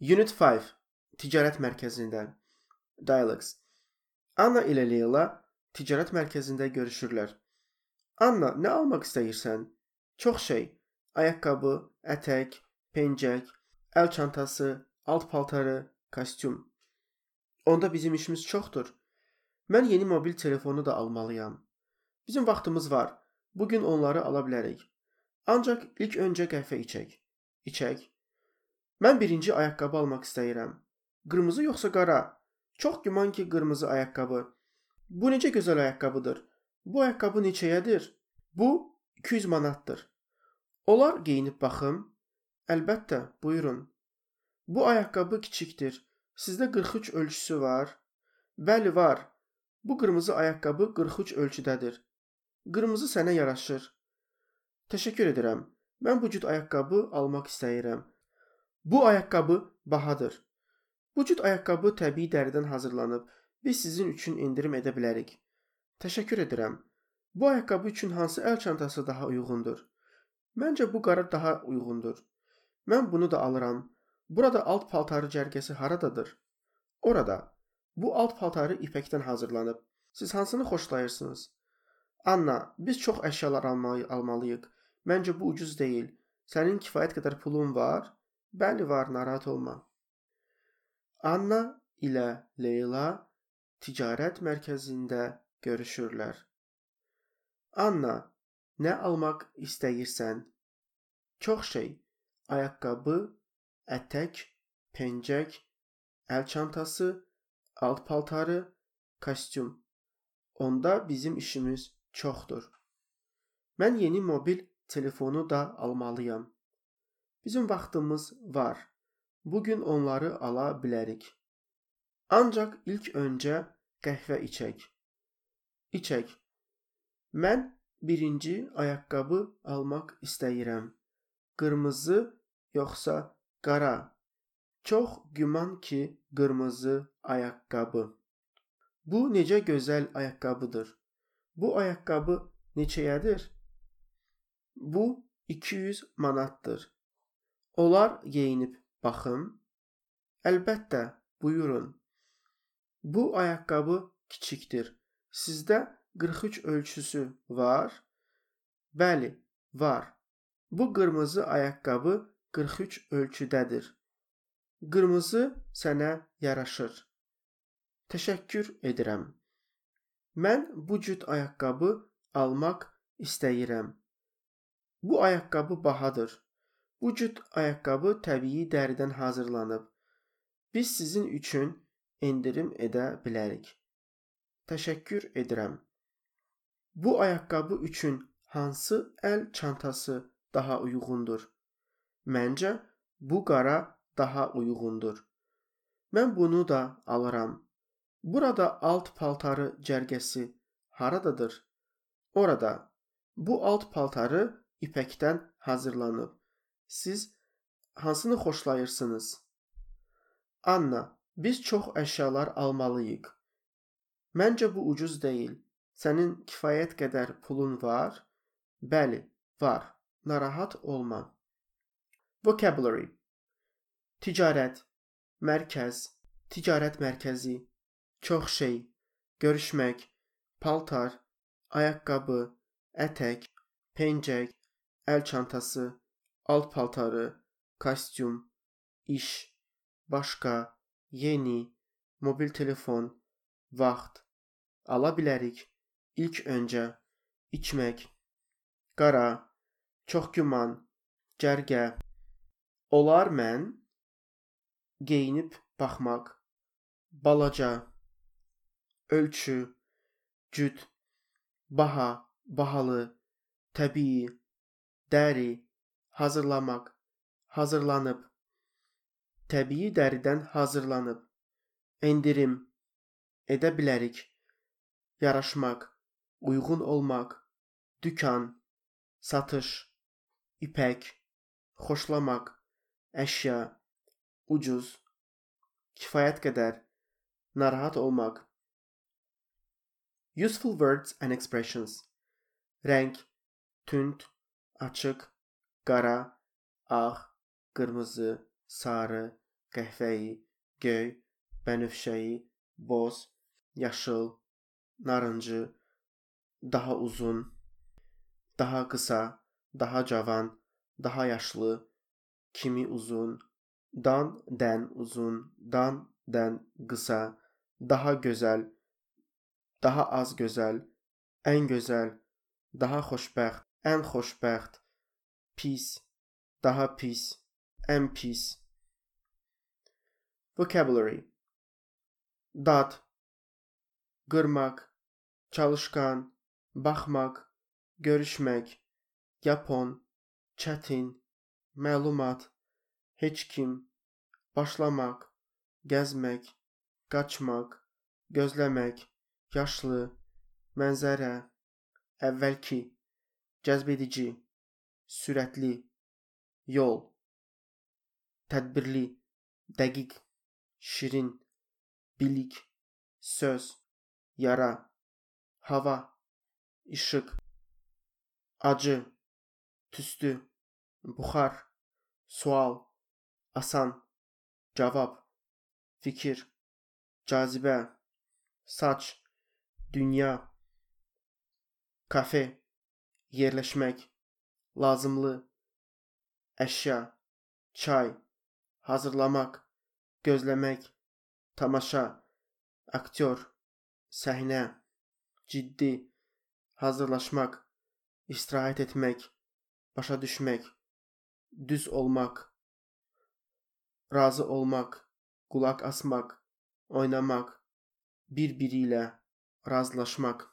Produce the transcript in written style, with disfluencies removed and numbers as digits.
Unit 5 Ticarət mərkəzində Dialogues. Anna ilə Leyla ticarət mərkəzində görüşürlər. Anna, nə almaq istəyirsən? Çox şey. Ayaqqabı, ətək, pencək, əl çantası, alt paltarı, kostyum. Onda bizim işimiz çoxdur. Mən yeni mobil telefonu da almalıyam. Bizim vaxtımız var. Bugün onları ala bilərik. Ancaq ilk öncə qəhvə içək. İçək. Mən birinci ayaqqabı almaq istəyirəm. Qırmızı yoxsa qara? Çox güman ki, qırmızı ayaqqabı. Bu necə gözəl ayaqqabıdır. Bu ayaqqabı neçəyədir? Bu 200 manatdır. Olar geyinib baxım? Əlbəttə, buyurun. Bu ayaqqabı kiçikdir. Sizdə 43 ölçüsü var? Bəli, var. Bu qırmızı ayaqqabı 43 ölçüdədir. Qırmızı sənə yaraşır. Təşəkkür edirəm. Mən bu cür ayaqqabı almaq istəyirəm. Bu ayaqqabı bahadır. Bu cür ayaqqabı təbii dəridən hazırlanıb. Biz sizin üçün endirim edə bilərik. Təşəkkür edirəm. Bu ayaqqabı üçün hansı əl çantası daha uyğundur? Məncə bu qara daha uyğundur. Mən bunu da alıram. Burada alt paltarı cərgəsi haradadır? Orada. Bu alt paltarı ipəkdən hazırlanıb. Siz hansını xoşlayırsınız? Anna, biz çox əşyalar almalıyıq. Məncə bu ucuz deyil. Sənin kifayət qədər pulun var? Bəli, var, narahat olma. Anna ilə Leyla ticarət mərkəzində görüşürlər. Anna, nə almaq istəyirsən? Çox şey. Ayaqqabı, ətək, pencək, əl çantası, alt paltarı, kostyum. Onda bizim işimiz çoxdur. Mən yeni mobil telefonu da almalıyam. Bizim vaxtımız var. Bugün onları ala bilərik. Ancaq ilk öncə qəhvə içək. İçək. Mən birinci ayaqqabı almaq istəyirəm. Qırmızı yoxsa qara? Çox güman ki, qırmızı ayaqqabı. Bu necə gözəl ayaqqabıdır. Bu ayaqqabı neçəyədir? Bu 200 manatdır. Olar geyinib baxım? Əlbəttə, buyurun. Bu ayaqqabı kiçikdir. Sizdə 43 ölçüsü var? Bəli, var. Bu qırmızı ayaqqabı 43 ölçüdədir. Qırmızı sənə yaraşır. Təşəkkür edirəm. Mən bu cür ayaqqabı almaq istəyirəm. Bu ayaqqabı bahadır. Bu cür ayaqqabı təbii dəridən hazırlanıb. Biz sizin üçün endirim edə bilərik. Təşəkkür edirəm. Bu ayaqqabı üçün hansı əl çantası daha uyğundur? Məncə bu qara daha uyğundur. Mən bunu da alıram. Burada alt paltarı cərgəsi haradadır? Orada. Bu alt paltarı ipəkdən hazırlanıb. Siz hansını xoşlayırsınız? Anna, biz çox əşyalar almalıyıq. Məncə bu ucuz deyil. Sənin kifayət qədər pulun var? Bəli, var. Narahat olma. Vocabulary. Ticarət, mərkəz, ticarət mərkəzi, çox şey, görüşmək, paltar, ayaqqabı, ətək, pencək, əl çantası, alt paltarı, kostyum, iş, başqa, yeni, mobil telefon, vaxt, ala bilərik, ilk öncə, içmək, qara, çox güman, cərgə, olar mən, geyinib baxmaq, balaca, ölçü, cüt, baha, bahalı, təbii, dəri, hazırlamaq, hazırlanıb, təbii dəridən hazırlanıb, endirim, edə bilərik, yaraşmaq, uyğun olmaq, dükan, satış, ipək, xoşlamaq, əşya, ucuz, kifayət qədər, narahat olmaq. Useful words and expressions. Rəng, tünd, açıq, qara, ağ, qırmızı, sarı, qəhvəyi, göy, bənövşəyi, boz, yaşıl, narıncı, daha uzun, daha qısa, daha cavan, daha yaşlı, kimi uzun, dan, dən uzun, dan, dən qısa, daha gözəl, daha az gözəl, ən gözəl, daha xoşbəxt, ən xoşbəxt, pis, daha pis, ən pis. Vocabulary: dad, qırmaq, çalışqan, baxmaq, görüşmək, yapon, çətin, məlumat, heç kim, başlamaq, gəzmək, qaçmaq, gözləmək, yaşlı, mənzərə, əvvəlki, cəzbedici, sürətli, yol, tədbirli, dəqiq, şirin, bilik, söz, yara, hava, işıq, acı, tüstü, buxar, sual, asan, cavab, fikir, cazibə, saç, dünya, kafe, yerləşmək, lazımlı, əşya, çay, hazırlamaq, gözləmək, tamaşa, aktyor, səhnə, ciddi, hazırlaşmaq, istirahət etmək, başa düşmək, düz olmaq, razı olmaq, qulaq asmaq, oynamaq, bir-biri ilə razılaşmaq.